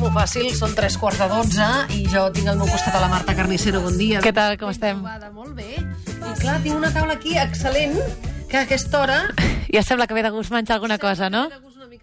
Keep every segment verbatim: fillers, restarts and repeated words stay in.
molt fàcil, són tres quarts de dotze i jo tinc al meu costat a la Marta Carnicero. Bon dia. Què tal, com estem? Molt bé. I clar, tinc una taula aquí excel·lent, que a aquesta hora... Ja sembla que ve de gust menjar alguna cosa, no?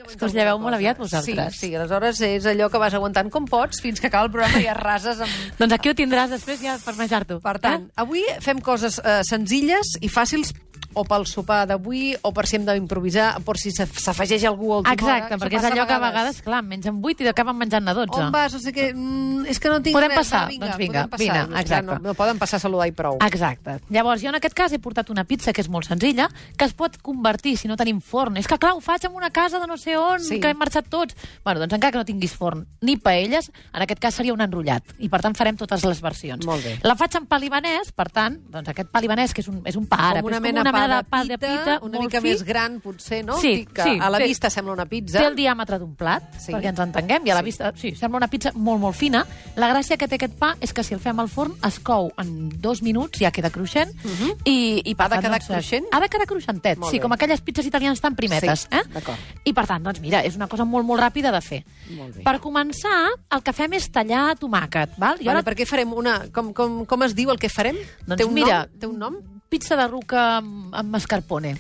És que us lleveu molt aviat, vosaltres. Sí, sí, aleshores és allò que vas aguantant com pots fins que acaba el programa i arrases amb... Doncs aquí ho tindràs després ja per menjar-t'ho. Per tant, eh? Avui fem coses eh, senzilles i fàcils o pel sopar d'avui, o per si hem d'improvisar, per si s'afegeix algú a última hora. Exacte, perquè és allò que a vegades, clar, mengen vuit i acaben menjant a dotze. On vas? O sigui que, mm, és que no tinc podem res. Passar? Va, vinga, doncs vinga, podem passar. vine, exacte. No, no poden passar a saludar i prou. Exacte. Llavors, jo en aquest cas he portat una pizza que és molt senzilla, que es pot convertir si no tenim forn. És que, clar, ho faig en una casa de no sé on, sí. que hem marxat tots. Bueno, doncs encara que no tinguis forn ni paelles, en aquest cas seria un enrotllat. I, per tant, farem totes les versions. Molt bé. La faig en pa libanès, per tant, doncs aquest pa libanès, que és un, és un pa àrab, com una és com mena, una mena de pa de pita, pita, una molt mica fi. més gran, potser, no? Sí, que sí. A la Té, vista sembla una pizza. té el diàmetre d'un plat, Sí. perquè ens entenguem, i a la Sí. vista, sí, sembla una pizza molt, molt fina. La gràcia que té aquest pa és que si el fem al forn es cou en dos minuts, ja queda cruixent, Uh -huh. i, i per Ha de tant, quedar doncs, cruixent? Ha de quedar cruixentet, Molt sí, bé. com aquelles pizzas italianes tan primetes. Sí, eh? d'acord. I per tant, doncs mira, és una cosa molt, molt ràpida de fer. Molt bé. Per començar, el que fem és tallar tomàquet, val? I Vale, per què farem una... Com, com, com es diu el que farem? Doncs té un mira, nom? Té un nom? Pizza de ruca amb, amb mascarpone.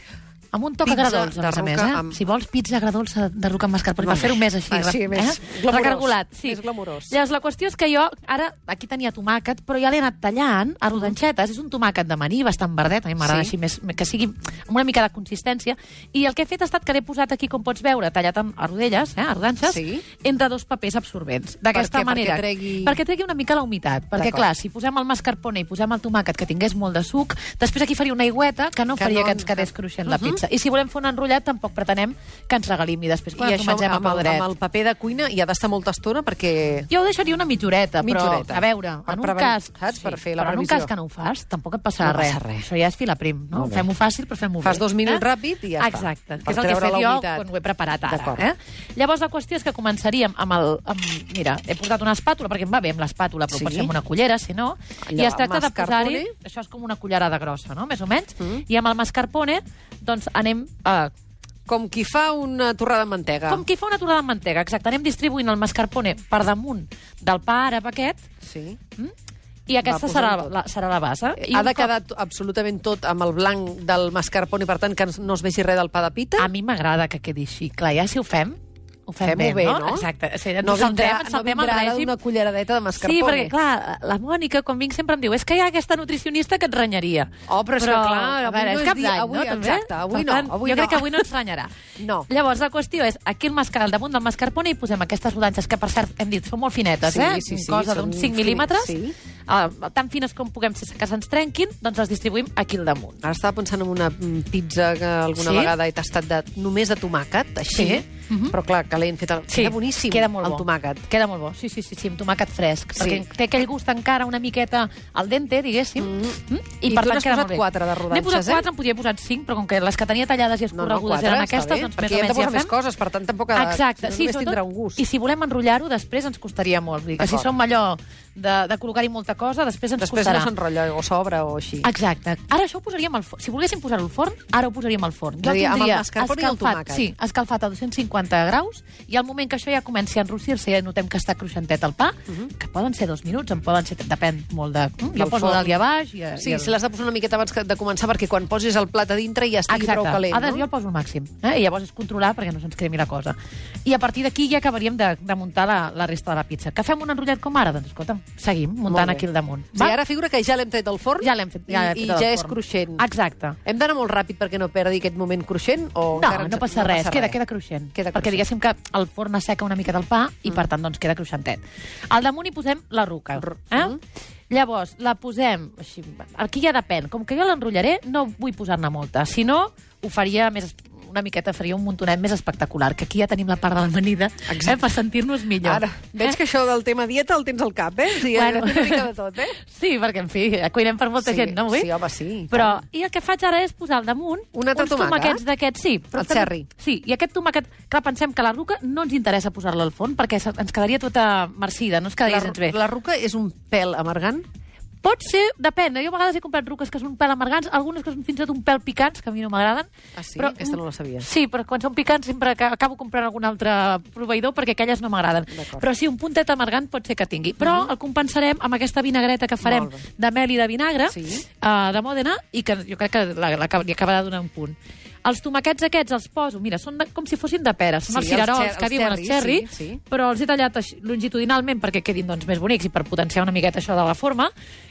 Amb un toc Pizza agradolç, a més de a més, ruca eh? amb- Si vols pizza agradolça de ruca amb mascarpone, per Molt fer-ho bé. més així, Ah, sí, eh? més glamurós. Recargolat, sí. Més glamurós. Llavors, la qüestió és que jo, ara, aquí tenia tomàquet, però ja l'he anat tallant a rodanxetes. És un tomàquet de maní, bastant verdet, a mi m'agrada Sí. així, més, que sigui amb una mica de consistència. I el que he fet ha estat que l'he posat aquí, com pots veure, tallat en, a rodelles, eh, a rodanxes, Sí. entre dos papers absorbents. D'aquesta Per què? manera. Perquè tregui- Perquè tregui una mica la humitat. Perquè, D'acord. clar, si posem el mascarpone i posem el tomàquet que tingués molt de suc, després aquí faria una aigüeta que no Que faria no- que ens quedés cruixent la Uh-huh. pizza. I si volem fer un enrotllat, tampoc pretenem que ens regalim i després quan I ens ho això mengem a amb el, peu dret. amb el paper de cuina hi ha d'estar molta estona perquè... Jo ho deixaria una mitjoreta, però, Mitjoreta. a veure, Per en un preven- cas... saps? Per fer la però en un previsió. cas que no ho fas, tampoc et passarà No res. passa res. Això ja és fila prim, no? Molt bé. Fem-ho fàcil, però fem-ho bé. Fas dos minuts eh? ràpid i ja està. Exacte, Per que és el que he treure fet la jo humitat. quan ho he preparat ara. D'acord. Eh? Llavors, la qüestió és que començaríem amb el... Amb, mira, he portat una espàtula, perquè em va bé amb l'espàtula, però Sí. pot ser amb una cullera, si no. Allò, I es tracta de mascarpone. posar-hi... Això és com una cullerada grossa, no?, més o menys. Mm. I amb el mascarpone, doncs, anem... a Com qui fa una torrada de mantega. com qui fa una torrada de mantega, exacte. Anem distribuint el mascarpone per damunt del pa àrab aquest, Sí. mm? i aquesta Va, serà posant tot. la, serà la base. I Ha un de cop- quedar t- absolutament tot amb el blanc del mascarpone, per tant, que no es vegi res del pa de pita? A mi m'agrada que quedi així. Clar, ja si ho fem, ho fem Fem-ho bé, bé, no? no? Exacte. O sigui, ens No ho saltem, vindrà, ens no saltem vindrà el ara règim. d'una culleradeta de Sí, mascarpone. perquè, clar, la Mònica, com vinc, sempre em diu és que hi ha aquesta nutricionista que et renyaria. Oh, però és que, clar, a avui veure, no és és cap dia- d'any, avui- no? També? exacte, avui Per no, tant, avui jo no. crec que avui no ens renyarà. No. Llavors, la qüestió és, aquí el mascar, al damunt del mascarpone hi posem aquestes rodanxes, que per cert, hem dit, són molt finetes, Sí, eh? sí, sí, Cosa són d'uns cinc fin- mil·límetres. sí. Uh, tan fines com puguem sense que se'ns trenquin, doncs les distribuïm aquí al damunt. Ara estava pensant en una mm, pizza que alguna Sí? vegada he tastat de, només de tomàquet, així, Sí. Mhm. però clar, que l'hem fet... El... Queda boníssim, queda molt el bo. tomàquet. Queda molt bo, sí, sí, sí, sí, amb tomàquet fresc. Sí. Perquè té aquell gust encara una miqueta al dente, diguéssim. Mm. Mm? I tu n'has queda posat molt bé. quatre de rodanxes, N'he posat eh? quatre, en podia posar cinc, però com que les que tenia tallades i No, no, escorregudes quatre, eren està aquestes, bé, doncs perquè més hi o hem de menys ja posar més fem. coses, per tant, tampoc ha de... Exacte, si sí, no, només tindrà sobretot, un gust. i si volem enrotllar-ho, després ens costaria molt. Vull dir que si D'acord. som allò de, de col·locar-hi molta cosa, després ens Després costarà. no s'enrotlla o s'obre o així. Exacte. Ara això ho posaríem al forn. Si volguéssim posar-ho al forn, ara ho posaríem al forn. És a dir, amb el tindria mascarpone i el escalfat, tomàquet. sí, escalfat a dos cents cinquanta graus, i al moment que això ja comenci a enrossir-se i ja notem que està cruixentet el pa, que poden ser dos minuts, en poden ser, depèn molt de... Mm, jo Del poso forn. dalt i a baix... I, Sí, i el... si l'has de posar una miqueta abans que- de començar, perquè quan posis el plat a dintre ja estigui Exacte. prou calent, Ara no? jo el poso al màxim. Eh? I llavors és controlar perquè no se'ns cremi la cosa. I a partir d'aquí ja acabaríem de, de muntar la, la resta de la pizza. Que fem un enrotllat com ara? Doncs escolta'm, seguim muntant bé. aquí al damunt. Sí, ara figura que ja l'hem tret del forn Ja l'hem fet. Ja l'hem i, fet i del ja és forn. cruixent. Exacte. Hem d'anar molt ràpid perquè no perdi aquest moment cruixent? O No, encara ens- no passa res, queda, queda cruixent. Queda perquè cruixent. diguéssim que el forn asseca una mica del pa i, per tant, doncs queda cruixentet. Al damunt hi posem la ruca. Eh? Mm. Llavors, la posem... Així, aquí ja depèn. Com que jo l'enrotllaré, no vull posar-ne molta. Si no, ho faria més... una miqueta faria un muntonet més espectacular, que aquí ja tenim la part de l'amanida eh, per sentir-nos millor. Ara, veig eh? que això del tema dieta el tens al cap, eh? O sigui, Bueno. una mica de tot, eh? Sí, perquè, en fi, cuinem per molta Sí, gent, no, avui? sí, home, sí, Però, tant. i el que faig ara és posar al damunt Un altre uns tomàquet? tomàquets d'aquests, sí. Però El també- cherry. Sí, i aquest tomàquet, clar, pensem que la ruca no ens interessa posar-la al forn perquè se- ens quedaria tota marcida, no ens quedaria La, gens bé. la ruca és un pèl amargant? Pot ser, depèn. Jo a vegades he comprat ruques que són un pèl amargants, algunes que són fins i tot un pèl picants, que a mi no m'agraden. Ah, sí? Però, Aquesta no la sabia. Sí, però quan són picants sempre acabo comprant algun altre proveïdor perquè aquelles no m'agraden. Però sí, un puntet amargant pot ser que tingui. Però uh -huh. el compensarem amb aquesta vinagreta que farem de mel i de vinagre, sí. uh, de Mòdena, i que jo crec que la, la, li acabarà de donar un punt. Els tomaquets aquests els poso, mira, són de, com si fossin de peres, són sí, els cirerols els que diuen els cherry, sí, sí. però els he tallat així, longitudinalment perquè quedin doncs, més bonics i per potenciar una miqueta això de la forma,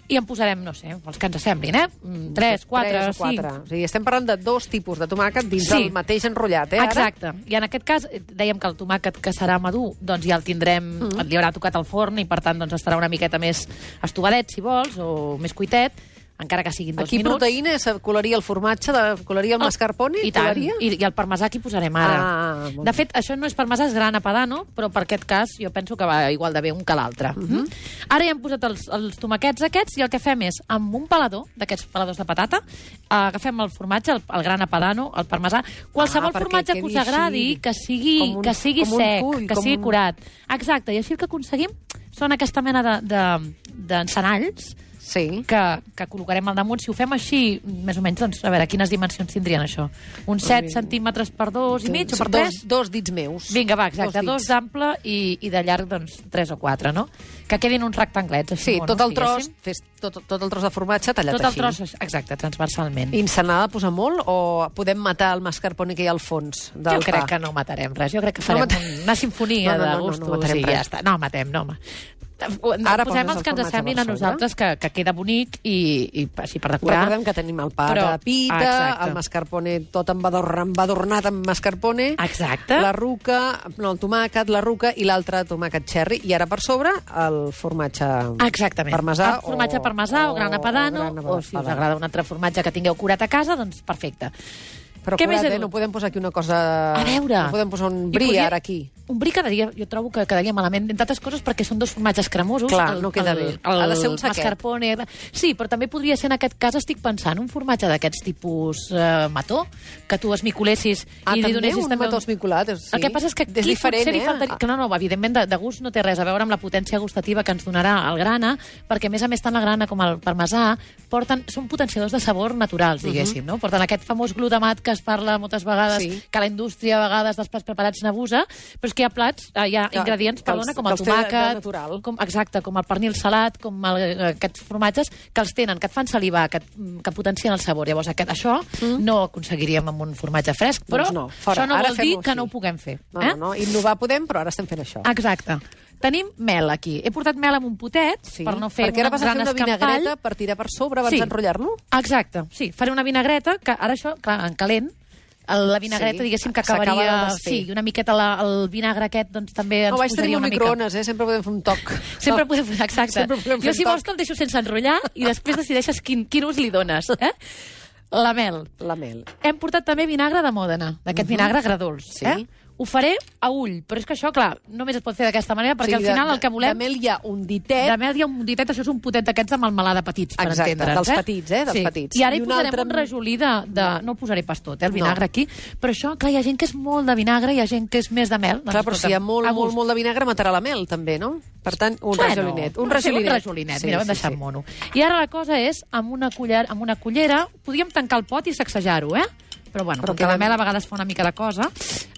i en posarem, no sé, els que ens semblin, eh? tres, quatre, cinc. O sigui, estem parlant de dos tipus de tomàquet dins sí. del mateix enrotllat, eh? Ara? Exacte. I en aquest cas, dèiem que el tomàquet que serà madur, doncs ja el tindrem, mm -hmm. li haurà tocat al forn i per tant doncs estarà una miqueta més estovadet, si vols, o més cuitet, encara que siguin dos aquí minuts. Aquí proteïna, colaria el formatge, de, colaria el oh, mascarpone? I tant, i, i el parmesà aquí posarem ara. Ah, de fet, això no és parmesà, és grana padano, però per aquest cas jo penso que va igual de bé un que l'altre. Uh -huh. Ara ja hem posat els, els tomaquets aquests i el que fem és, amb un pelador, d'aquests peladors de patata, agafem el formatge, el, el grana padano, el parmesà, qualsevol ah, formatge que us agradi, així, que sigui, un, que sigui sec, full, que sigui un... curat. Exacte, i així el que aconseguim són aquesta mena d'encenalls, de, de, sí. que, que col·locarem al damunt. Si ho fem així, més o menys, doncs, a veure, quines dimensions tindrien això? Uns set centímetres per dos i mig o per tres? Dos, dos dits meus. Vinga, va, exacte, dos, dos d'ample i, i de llarg, doncs, tres o quatre, no? Que quedin uns rectanglets, així. Sí, tot el tros, fes, tot, tot el tros de formatge tallat tot així. Tot el tros, exacte, transversalment. I se n'ha de posar molt o podem matar el mascarpone que hi ha al fons del jo pa? crec que no matarem res, jo crec que farem no una sinfonia no, no, no, de gustos no, no, no i ja està. No matem, no, home. Ara posem els que ens semblin a nosaltres que, que queda bonic i, i així per decorar. Recordem que tenim el pa Però, de pita, exacte. el mascarpone tot embadornat amb mascarpone, exacte. la ruca, no, el tomàquet, la ruca i l'altre tomàquet cherry. I ara per sobre el formatge Exactament. parmesà. El formatge o, parmesà o, o grana padano, o, grana o si us agrada un altre formatge que tingueu curat a casa, doncs perfecte. Però Què curat, eh? No podem posar aquí una cosa... A veure... No podem posar un brie podia... ara aquí. Un brie quedaria, jo trobo que quedaria malament, entre altres coses perquè són dos formatges cremosos. Clar, el, no queda el, bé. El, ha de ser un saquet. Mascarpone... Sí, però també podria ser, en aquest cas, estic pensant, un formatge d'aquests tipus eh, mató, que tu esmiculessis ah, i li també donessis... un també mató esmiculat, sí. El que passa és que aquí és diferent, potser li eh? faltaria... Que no, no, evidentment, de, de gust no té res a veure amb la potència gustativa que ens donarà el grana, perquè, a més a més, tant la grana com el parmesà porten, són potenciadors de sabor naturals, diguéssim, uh -huh. no? Porten aquest famós glutamat que es parla moltes vegades, sí. que la indústria a vegades dels plats preparats n'abusa, però és que hi ha plats, hi ha que, ingredients, que perdona, els, com el tomàquet, com, exacte, com el pernil salat, com el, aquests formatges, que els tenen, que et fan salivar, que, que potencien el sabor. Llavors, aquest, això mm. no ho aconseguiríem amb un formatge fresc, però doncs no, això no ara vol dir que així. No ho puguem fer. No, eh? no, no, innovar podem, però ara estem fent això. Exacte. Tenim mel aquí. He portat mel amb un potet sí, per no fer perquè ara vas a fer una escampall. vinagreta per tirar per sobre abans sí. d'enrotllar-lo? Exacte, sí. Faré una vinagreta, que ara això, clar, en calent, la vinagreta, sí, diguéssim, que acabaria... Sí, una miqueta la, el vinagre aquest, doncs també ens no, posaria una mica... No, vaig tenir un microones, eh? Sempre podem fer un toc. Sempre podem fer, exacte. Podem jo, si vols, te'l deixo sense enrotllar i després decideixes quin, quin ús li dones, eh? La mel. La mel. Hem portat també vinagre de Mòdena, d'aquest uh -huh. vinagre agredolç, sí. eh? Ho faré a ull, però és que això, clar, només es pot fer d'aquesta manera, perquè sí, al final de, el que volem... De mel hi ha un ditet... De mel hi ha un ditet, això és un potet d'aquests de melmelada petits, per exacte, entendre'ns. dels eh? petits, eh? Dels sí. petits. I ara I hi posarem altre... un rajolí de, de... No ho posaré pas tot, eh, el vinagre no. aquí, però això, clar, hi ha gent que és molt de vinagre, hi ha gent que és més de mel. Doncs, clar, però si hi ha molt, molt, molt de vinagre, matarà la mel, també, no? Per tant, un bueno, rajolinet. Un rajolinet. Un rajolinet, sí, mira, ho hem sí, deixat sí. mono. I ara la cosa és, amb una, culler, amb una cullera, podríem tancar el pot i sacsejar-ho, eh? Però, bueno, però com que la mel a vegades fa una mica de cosa...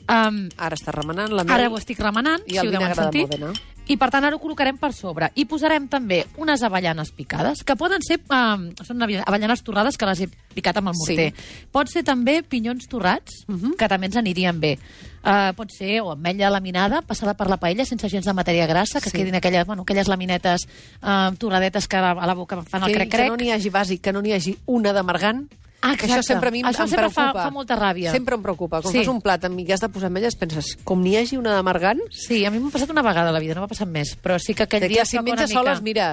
Um, ara està remenant la mel. Ara ho estic remenant, i si ho deuen sentir. De I, per tant, ara ho col·locarem per sobre. I posarem també unes avellanes picades, que poden ser... Um, són avellanes torrades, que les he picat amb el morter. Sí. Pot ser també pinyons torrats, uh -huh. que també ens anirien bé. Uh, pot ser o ametlla laminada, passada per la paella, sense gens de matèria grassa, que sí. quedin aquelles, bueno, aquelles laminetes uh, torradetes que a la boca fan el crec-crec. Que no n'hi hagi bàsic, que no n'hi hagi una d'amargant. Ah, que això sempre a mi això em sempre preocupa. Fa, fa molta ràbia. Sempre em preocupa. Quan sí. fas un plat amb mi que has de posar ametlles, penses, com n'hi hagi una d'amargant... Sí, a mi m'ha passat una vegada a la vida, no m'ha passat més. Però sí que aquell que dia... Clar, si menges soles, mira,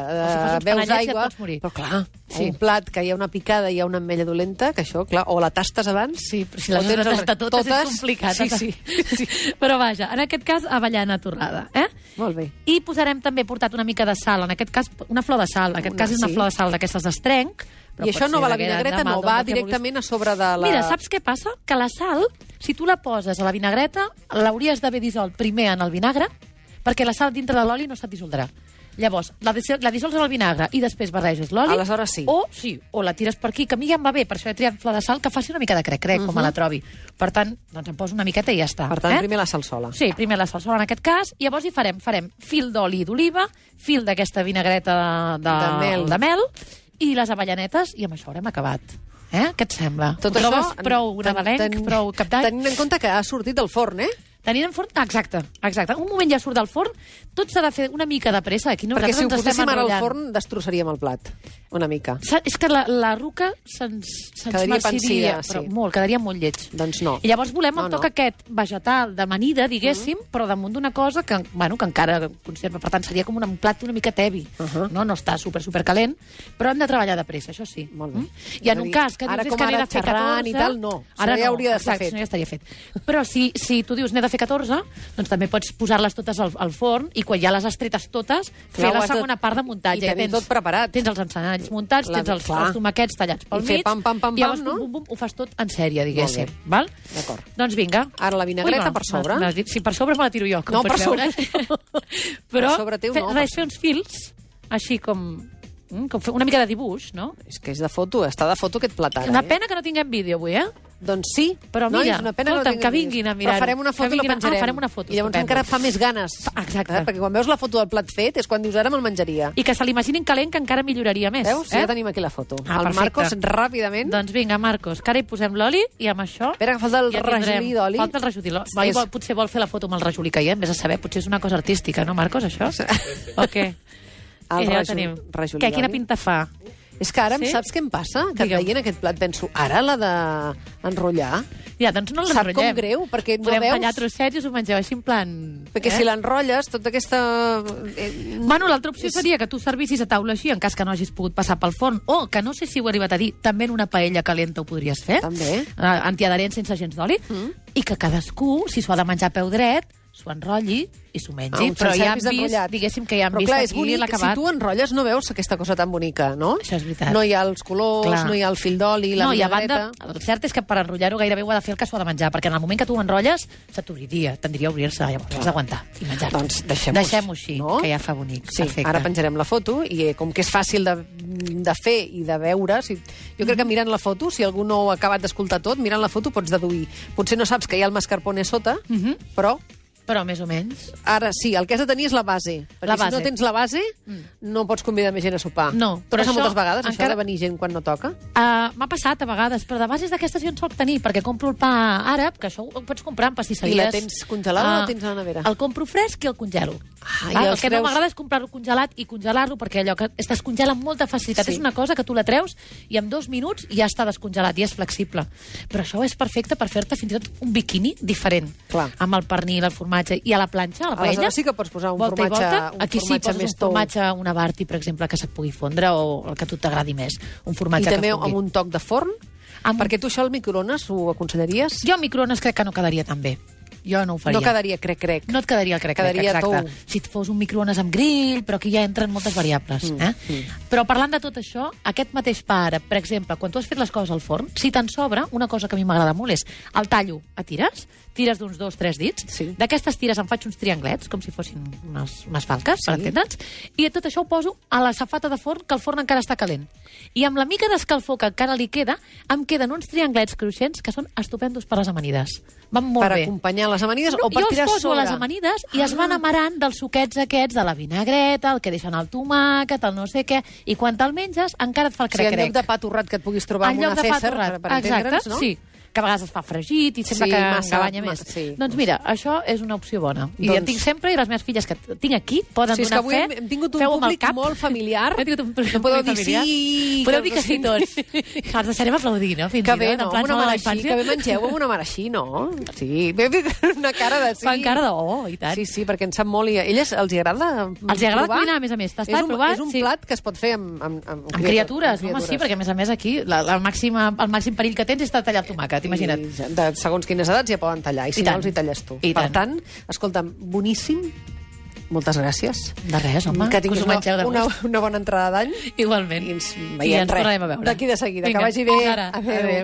si veus aigua... Ja però clar, sí. un plat que hi ha una picada i hi ha una ametlla dolenta, que això, clar, o la tastes abans... Sí, però si les has de tastar totes, totes és complicat. Sí, sí. sí. Però vaja, en aquest cas, avellana torrada, eh? Molt bé. I posarem també, portat una mica de sal, en aquest cas, una flor de sal. En aquest una, cas és una sí. flor de sal d'aquestes d'estrenc. I això no va a la vinagreta, no va directament a sobre de la... Mira, saps què passa? Que la sal, si tu la poses a la vinagreta, l'hauries d'haver dissolt primer en el vinagre, perquè la sal dintre de l'oli no se't dissoldrà. Llavors, la, dis la dissols en el vinagre i després barreges l'oli. Aleshores sí. O, sí, o la tires per aquí, que a mi ja em va bé, per això he triat flor de sal, que faci una mica de crec-crec, uh -huh. com me la trobi. Per tant, doncs em poso una miqueta i ja està. Per tant, eh? primer la salsola. Sí, primer la salsola en aquest cas, i llavors hi farem, farem fil d'oli d'oliva, fil d'aquesta vinagreta de, de, de, mel. de mel, i les avellanetes, i amb això haurem acabat. Eh? Què et sembla? Tot Trobes això, prou nadalenc, prou cap d'any? Tenint en compte que ha sortit del forn, eh? Tenint en forn... Exacte, exacte. Un moment ja surt del forn, tot s'ha de fer una mica de pressa. Aquí Perquè si ho poséssim ara al enrotllant. forn, destrossaríem el plat. Una mica. És que la, la ruca se'ns se Quedaria marciria, pansida, però sí. molt, quedaria molt lleig. Doncs no. I llavors volem no, el toc no. aquest vegetal d'amanida, diguéssim, mm. però damunt d'una cosa que, bueno, que encara conserva. Per tant, seria com un plat una mica tevi. Uh -huh. no? no està super, super calent, però hem de treballar de pressa, això sí. Molt bé. Mm? I en un cas que ara dius com que n'he ara de fer xerrant catorze... i tal, no. Ara ja no, hauria d'estar exacte, fet. no, ja estaria fet. Però si, si tu dius n'he de fer catorze, doncs també pots posar-les totes al, al forn i quan ja les has tretes totes, fer Clar, la ho has de- segona part de muntatge. i tenir tens, tot preparat. Tens els encenalls muntats, La- tens els, clar. els tomaquets tallats pel I fer mig, pam, pam, pam, i llavors, pam, no? bum, bum, bum, ho fas tot en sèrie, diguéssim. Molt bé. Val? D'acord. Doncs vinga. Ara la vinagreta Ui, va, per sobre. m'has dit- Sí, per sobre me la tiro jo, com No, pots per sobre. veure. Però Per sobre teu fe, no, per res, fer uns fils, així com, mm, com fer una mica de dibuix, no? És que és de foto, està de foto aquest plat ara. Una eh? pena que no tinguem vídeo avui, eh? Doncs sí, Però nois, mira, una pena escolta'm, que, no que tinguem vinguin a vídeos. mirar-ho. Però farem una foto Que i la vinguin a- ah, penjarem. farem una foto, I llavors estupendo. encara fa més ganes. Exacte. Eh? Perquè quan veus la foto del plat fet és quan dius ara me'l menjaria. I que se l'imaginin calent, que encara milloraria més. Veus? Eh? Ja tenim aquí la foto. Ah, el perfecte. Marcos, ràpidament. Doncs vinga, Marcos, que ara hi posem l'oli i amb això... Espera, que falta el ja rajolí tindrem- d'oli. Falta el rajolí d'oli. Oi, És- vol, potser vol fer la foto amb el rajolí caient, vés a saber, potser és una cosa artística, no, Marcos, això? O què? El I ja ho rajol- tenim. rajolí Què, quina d'oli. pinta fa? És que ara Sí? saps què em passa? Que Digue'm. veient aquest plat penso, ara l'ha d'enrotllar? Ja, doncs no Sap l'enrotllem. com greu, perquè no Podem veus... tallar trossets i us ho mengeu així en plan... Perquè si l'enrotlles, tota aquesta... Eh, Bueno, l'altra opció És- seria que tu servissis a taula així, en cas que no hagis pogut passar pel forn, o que no sé si ho he arribat a dir, també en una paella calenta ho podries fer. També. Uh, antiadherent sense gens d'oli. Mm. I que cadascú, si s'ho ha de menjar a peu dret, s'ho enrotlli i s'ho mengi. Ah, un però ja han service vist, enrotllat. diguéssim que ja han Però vist clar, és aquí bonic, si l'acabat. tu enrotlles no veus aquesta cosa tan bonica, no? Això és veritat. No hi ha els colors, Clar. no hi ha el fil d'oli, la no, i a vinagreta... banda, el cert és que per enrotllar-ho gairebé ho ha de fer el que s'ho ha de menjar, perquè en el moment que tu ho enrotlles, se t'obriria, tendria a obrir-se, llavors has d'aguantar i menjar-ho. Doncs deixem-ho Deixem-ho així, no? que ja fa bonic. Sí, Perfecte. ara penjarem la foto i eh, com que és fàcil de, de fer i de veure, si, jo crec que mirant la foto, si algú no ho ha acabat d'escoltar tot, mirant la foto pots deduir. Potser no saps que hi ha el mascarpone sota, Mhm. però Però més o menys. ara sí, el que has de tenir és la base. Perquè La si base. no tens la base, no pots convidar més gent a sopar. No, però però passa això moltes vegades, encara- això de venir gent quan no toca. Uh, M'ha passat a vegades, però de bases d'aquestes jo en soc tenir, perquè compro el pa àrab, que això ho pots comprar en pastisseries. I la tens congelada o la Ah, tens a la nevera? El compro fresc i el congelo. Ah, i Val? El els que no treus- m'agrada és comprar-lo congelat i congelar-lo, perquè allò que es descongela amb molta facilitat. Sí. És una cosa que tu la treus i en dos minuts ja està descongelat i és flexible. Però això és perfecte per fer-te fins i tot un biquini diferent. Clar. Amb el pernil, el formatge i a la planxa, a la paella. Aleshores sí que pots posar un volta i formatge- volta. un Aquí sí, formatge poses més un tou. formatge, una Barti, per exemple, que se't pugui fondre o el que a tu t'agradi més. Un I formatge també que fongui. amb un toc de forn? Amb un- Perquè tu això al microones ho aconsellaries? Jo al microones crec que no quedaria tan bé. Jo no ho faria. No quedaria crec, crec. No et quedaria el crec, Quedaria crec, exacte. tou. Si et fos un microones amb grill, però aquí ja entren moltes variables. Mm, eh? mm. Però parlant de tot això, aquest mateix pa àrab, per exemple, quan tu has fet les coses al forn, si te'n sobra, una cosa que a mi m'agrada molt és el tallo a tires, tires d'uns dos, tres dits, Sí. d'aquestes tires em faig uns trianglets, com si fossin unes, unes falques, Sí. per entendre'ns, i tot això ho poso a la safata de forn, que el forn encara està calent. I amb la mica d'escalfor que encara li queda, em queden uns trianglets cruixents que són estupendos per les amanides. Van molt Per bé. acompanyar les amanides No, o per jo tirar els poso sobre? a les amanides i es van amarant dels suquets aquests de la vinagreta, el que deixen el tomàquet, el no sé què, i quan te'l menges encara et fa el O sigui, en crec-crec. lloc de pa torrat que et puguis trobar En amb lloc una de pa César, torrat. per, per entendre'ns, Exacte, no? sí. Que a vegades es fa fregit i sembla Sí, que massa- engabanya ma- més. sí. Doncs mira, això és una opció bona. I Doncs- en tinc sempre, i les meves filles que tinc aquí poden Sí, és que donar avui fe. hem, hem tingut un Feu amb el públic cap. molt familiar. Hem tingut un públic No podeu molt dir familiar. sí... Podeu que dir que sí us tots. Els deixarem aplaudir, no? Fins Que i bé, tot, no? en plan Amb una som a la mare així, infància. que bé mengeu amb una mare així, no? Sí, bé, bé, una cara de sí. Fan cara de oh, i tant. Sí, sí, perquè en sap molt i a elles els hi agrada Els hi agrada provar? cuinar, a més a més. T'està És un, provat? és un Sí. plat que es pot fer amb, amb, amb, Amb criatures, home, sí, perquè a més a més aquí la, la màxima, el màxim perill que tens és de tallar el tomàquet, imagina't. I de segons quines edats ja poden tallar, i si I no tant. els hi talles tu. I per tant. tant, escolta'm, boníssim, moltes gràcies. De res, home, que que us tinguis ho mengeu de una, gust. una, una bona entrada d'any Igualment. i ens I veiem ens tornarem a veure. d'aquí de seguida. Vinga, Que vagi bé. fins ara. Adéu. Adéu.